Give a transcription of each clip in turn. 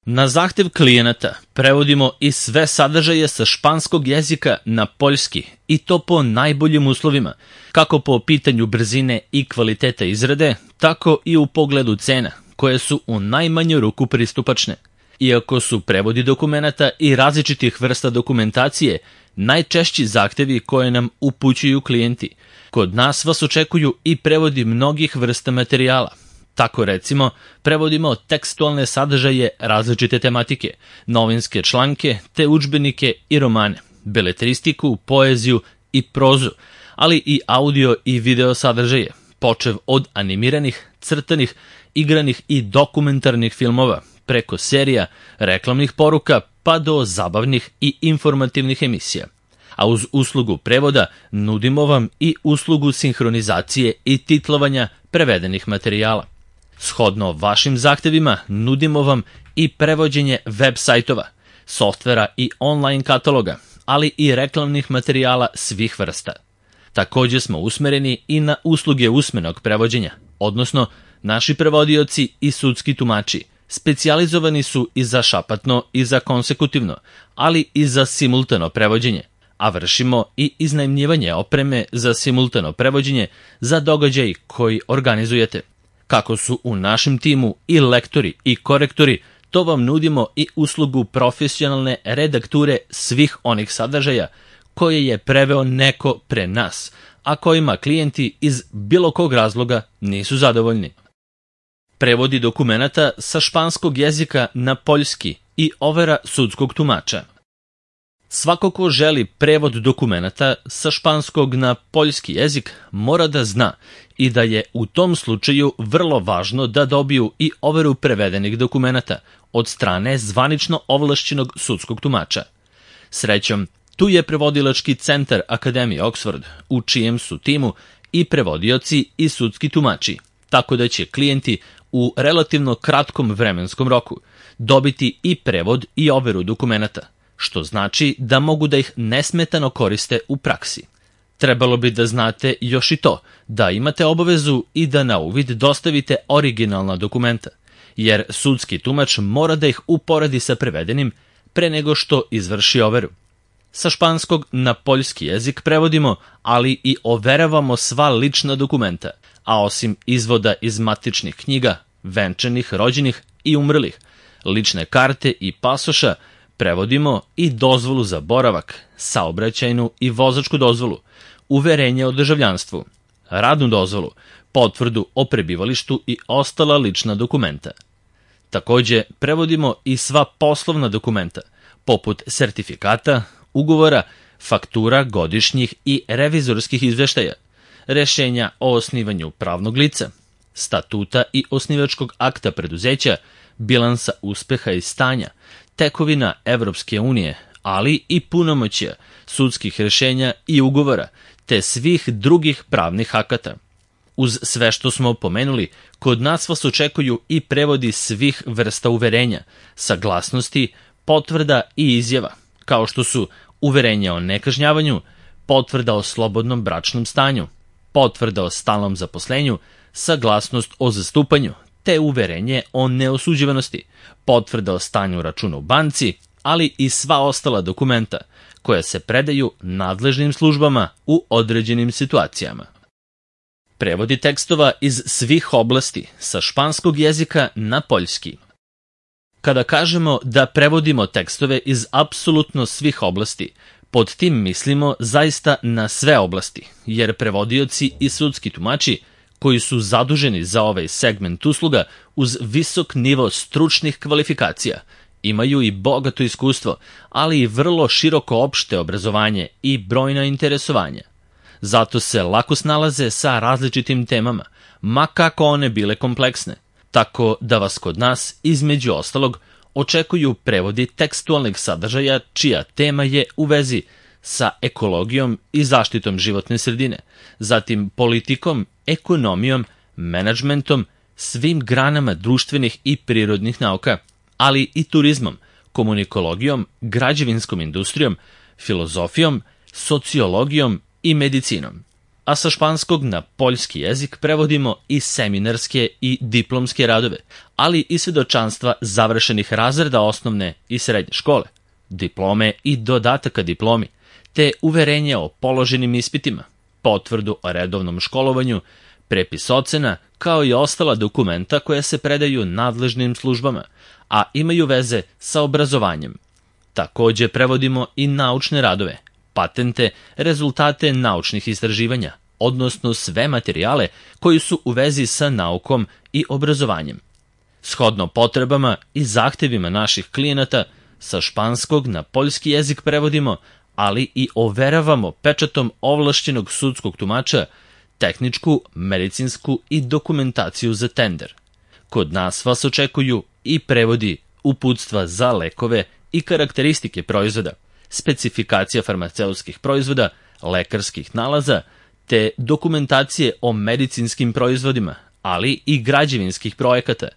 Na zahtev klijenata prevodimo i sve sadržaje sa španskog jezika na poljski i to po najboljim uslovima, kako po pitanju brzine i kvaliteta izrade, tako i u pogledu cena, koje su u najmanju ruku pristupačne. Iako su prevodi dokumenata i različitih vrsta dokumentacije najčešći zahtevi koje nam upućuju klijenti, kod nas vas očekuju i prevodi mnogih vrsta materijala. Tako recimo, prevodimo tekstualne sadržaje različite tematike, novinske članke te udžbenike i romane, beletristiku, poeziju i prozu, ali i audio i video sadržaje, počev od animiranih, crtanih, igranih i dokumentarnih filmova, preko serija, reklamnih poruka pa do zabavnih i informativnih emisija. A uz uslugu prevoda nudimo vam i uslugu sinhronizacije i titlovanja prevedenih materijala. Shodno vašim zahtevima nudimo vam i prevođenje web sajtova, softvera i online kataloga, ali i reklamnih materijala svih vrsta. Također smo usmereni i na usluge usmenog prevođenja, odnosno naši prevodioci i sudski tumači specijalizovani su i za šapatno i za konsekutivno, ali i za simultano prevođenje, a vršimo i iznajmljivanje opreme za simultano prevođenje za događaj koji organizujete. Kako su u našem timu i lektori i korektori, to vam nudimo i uslugu profesionalne redakture svih onih sadržaja koje je preveo neko pre nas, a kojima klijenti iz bilo kog razloga nisu zadovoljni. Prevodi dokumenata sa španskog jezika na poljski i overa sudskog tumača. Svako ko želi prevod dokumenata sa španskog na poljski jezik mora da zna i da je u tom slučaju vrlo važno da dobiju i overu prevedenih dokumenata od strane zvanično ovlašćenog sudskog tumača. Srećom, tu je prevodilački centar Akademije Oxford, u čijem su timu i prevodioci i sudski tumači, tako da će klijenti u relativno kratkom vremenskom roku dobiti i prevod i overu dokumenata, što znači da mogu da ih nesmetano koriste u praksi. Trebalo bi da znate još i to, da imate obavezu i da na uvid dostavite originalna dokumenta, jer sudski tumač mora da ih uporedi sa prevedenim pre nego što izvrši overu. Sa španskog na poljski jezik prevodimo, ali i overavamo sva lična dokumenta, a osim izvoda iz matičnih knjiga, venčanih, rođenih i umrlih, lične karte i pasoša, prevodimo i dozvolu za boravak, saobraćajnu i vozačku dozvolu, uverenje o državljanstvu, radnu dozvolu, potvrdu o prebivalištu i ostala lična dokumenta. Također prevodimo i sva poslovna dokumenta, poput sertifikata, ugovora, faktura godišnjih i revizorskih izveštaja, rešenja o osnivanju pravnog lica, statuta i osnivačkog akta preduzeća, bilansa uspeha i stanja, tekovina Evropske unije, ali i punomoćja, sudskih rešenja i ugovora, te svih drugih pravnih akata. Uz sve što smo pomenuli, kod nas vas očekuju i prevodi svih vrsta uverenja, saglasnosti, potvrda i izjava, kao što su uverenje o nekažnjavanju, potvrda o slobodnom bračnom stanju, potvrda o stalnom zaposlenju, saglasnost o zastupanju, te uverenje o neosuđivanosti, potvrda o stanju računa u banci, ali i sva ostala dokumenta koja se predaju nadležnim službama u određenim situacijama. Prevodi tekstova iz svih oblasti sa španskog jezika na poljski. Kada kažemo da prevodimo tekstove iz apsolutno svih oblasti, pod tim mislimo zaista na sve oblasti, jer prevodioci i sudski tumači koji su zaduženi za ovaj segment usluga uz visok nivo stručnih kvalifikacija, imaju i bogato iskustvo, ali i vrlo široko opšte obrazovanje i brojna interesovanja. Zato se lako snalaze sa različitim temama, ma kako one bile kompleksne, tako da vas kod nas, između ostalog, očekuju prevodi tekstualnih sadržaja čija tema je u vezi sa ekologijom i zaštitom životne sredine, zatim politikom, ekonomijom, menadžmentom, svim granama društvenih i prirodnih nauka, ali i turizmom, komunikologijom, građevinskom industrijom, filozofijom, sociologijom i medicinom. a sa španskog na poljski jezik prevodimo i seminarske i diplomske radove, ali i svedočanstva završenih razreda osnovne i srednje škole, diplome i dodataka diplomi, te uverenje o položenim ispitima, potvrdu o redovnom školovanju, prepis ocena, kao i ostala dokumenta koja se predaju nadležnim službama, a imaju veze sa obrazovanjem. Takođe prevodimo i naučne radove, patente, rezultate naučnih istraživanja, odnosno sve materijale koji su u vezi sa naukom i obrazovanjem. Shodno potrebama i zahtevima naših klijenata, sa španskog na poljski jezik prevodimo, ali i overavamo pečatom ovlašćenog sudskog tumača tehničku, medicinsku i dokumentaciju za tender. Kod nas vas očekuju i prevodi uputstva za lekove i karakteristike proizvoda, specifikacija farmaceutskih proizvoda, lekarskih nalaza, te dokumentacije o medicinskim proizvodima, ali i građevinskih projekata,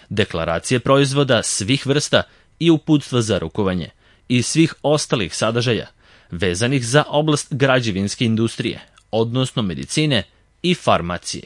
deklaracije proizvoda svih vrsta i uputstva za rukovanje i svih ostalih sadržaja vezanih za oblast građevinske industrije, odnosno medicine i farmacije.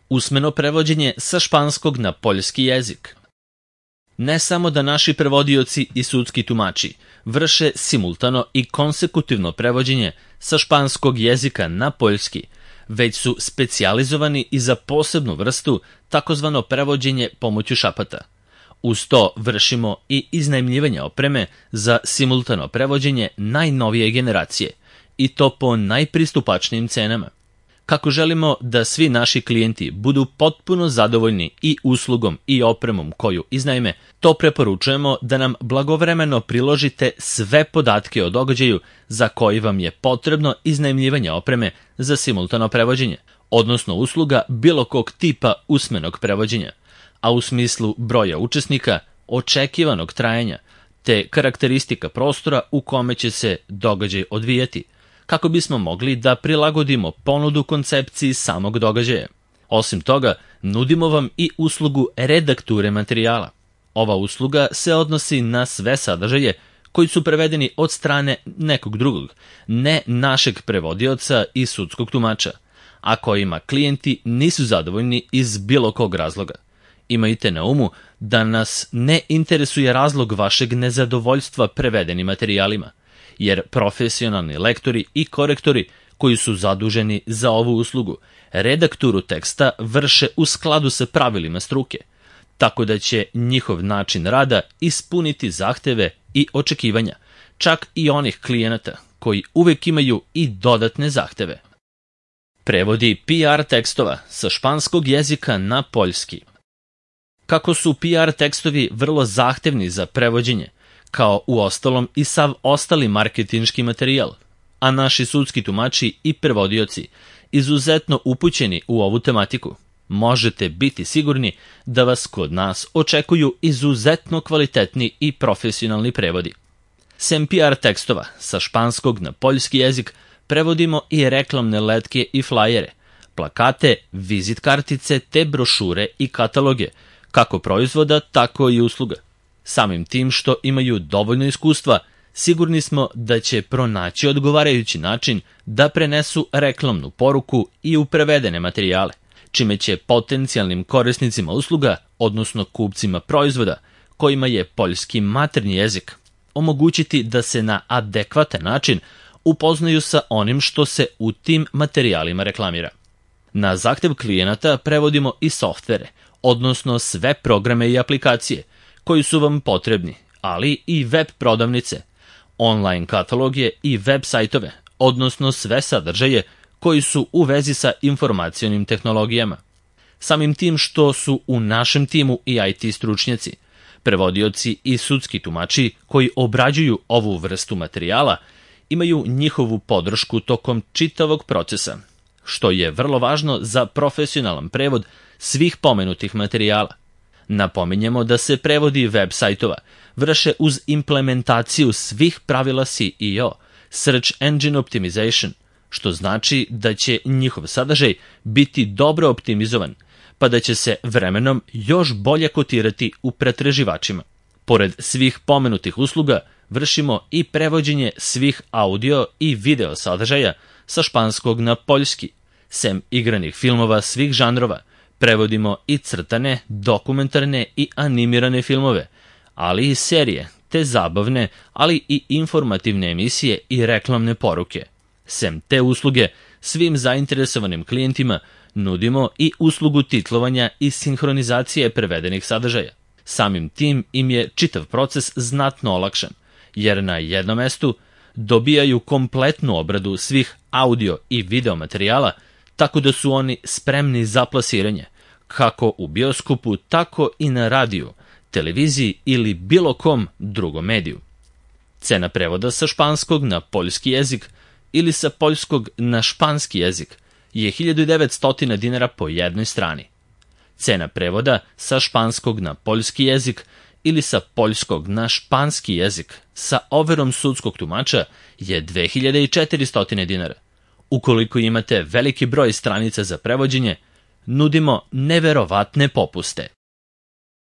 Usmeno prevođenje sa španskog na poljski jezik. Ne samo da naši prevodioci i sudski tumači vrše simultano i konsekutivno prevođenje sa španskog jezika na poljski, već su specijalizovani i za posebnu vrstu takozvano prevođenje pomoću šapata. Uz to vršimo i iznajmljivanje opreme za simultano prevođenje najnovije generacije, i to po najpristupačnijim cenama. Kako želimo da svi naši klijenti budu potpuno zadovoljni i uslugom i opremom koju iznajme, to preporučujemo da nam blagovremeno priložite sve podatke o događaju za koji vam je potrebno iznajmljivanje opreme za simultano prevođenje, odnosno usluga bilo kog tipa usmenog prevođenja, a u smislu broja učesnika, očekivanog trajanja, te karakteristika prostora u kome će se događaj odvijati, kako bismo mogli da prilagodimo ponudu koncepciji samog događaja. Osim toga, nudimo vam i uslugu redakture materijala. Ova usluga se odnosi na sve sadržaje koji su prevedeni od strane nekog drugog, ne našeg prevodioca i sudskog tumača, a kojima klijenti nisu zadovoljni iz bilo kog razloga. Imajte na umu da nas ne interesuje razlog vašeg nezadovoljstva prevedenim materijalima, jer profesionalni lektori i korektori koji su zaduženi za ovu uslugu redakturu teksta vrše u skladu sa pravilima struke, tako da će njihov način rada ispuniti zahteve i očekivanja, čak i onih klijenata koji uvek imaju i dodatne zahteve. Prevodi PR tekstova sa španskog jezika na poljski. Kako su PR tekstovi vrlo zahtevni za prevođenje, kao uostalom i sav ostali marketinški materijal, a naši sudski tumači i prevodioci izuzetno upućeni u ovu tematiku, možete biti sigurni da vas kod nas očekuju izuzetno kvalitetni i profesionalni prevodi. Sem PR tekstova sa španskog na poljski jezik prevodimo i reklamne letke i flajere, plakate, vizit kartice te brošure i kataloge, kako proizvoda, tako i usluga. Samim tim što imaju dovoljno iskustva, sigurni smo da će pronaći odgovarajući način da prenesu reklamnu poruku i u prevedene materijale, čime će potencijalnim korisnicima usluga, odnosno kupcima proizvoda, kojima je poljski maternji jezik, omogućiti da se na adekvatan način upoznaju sa onim što se u tim materijalima reklamira. Na zahtev klijenata prevodimo i softvere, odnosno sve programe i aplikacije koji su vam potrebni, ali i web prodavnice, online kataloge i web sajtove, odnosno sve sadržaje koji su u vezi sa informacionim tehnologijama. Samim tim što su u našem timu i IT stručnjaci, prevodioci i sudski tumači koji obrađuju ovu vrstu materijala, imaju njihovu podršku tokom čitavog procesa, što je vrlo važno za profesionalan prevod svih pomenutih materijala. Napominjemo da se prevodi web sajtova vrše uz implementaciju svih pravila SEO, Search Engine Optimization, što znači da će njihov sadržaj biti dobro optimizovan, pa da će se vremenom još bolje kotirati u pretraživačima. Pored svih pomenutih usluga, vršimo i prevođenje svih audio i video sadržaja sa španskog na poljski. Sem igranih filmova svih žanrova, prevodimo i crtane, dokumentarne i animirane filmove, ali i serije, te zabavne, ali i informativne emisije i reklamne poruke. Sem te usluge, svim zainteresovanim klijentima nudimo i uslugu titlovanja i sinhronizacije prevedenih sadržaja. Samim tim im je čitav proces znatno olakšan, jer na jednom mestu dobijaju kompletnu obradu svih audio i video materijala, tako da su oni spremni za plasiranje, kako u bioskopu, tako i na radiju, televiziji ili bilo kom drugom mediju. Cena prevoda sa španskog na poljski jezik ili sa poljskog na španski jezik je 1900 dinara po jednoj strani. Cena prevoda sa španskog na poljski jezik ili sa poljskog na španski jezik sa overom sudskog tumača je 2400 dinara. Ukoliko imate veliki broj stranica za prevođenje, nudimo neverovatne popuste.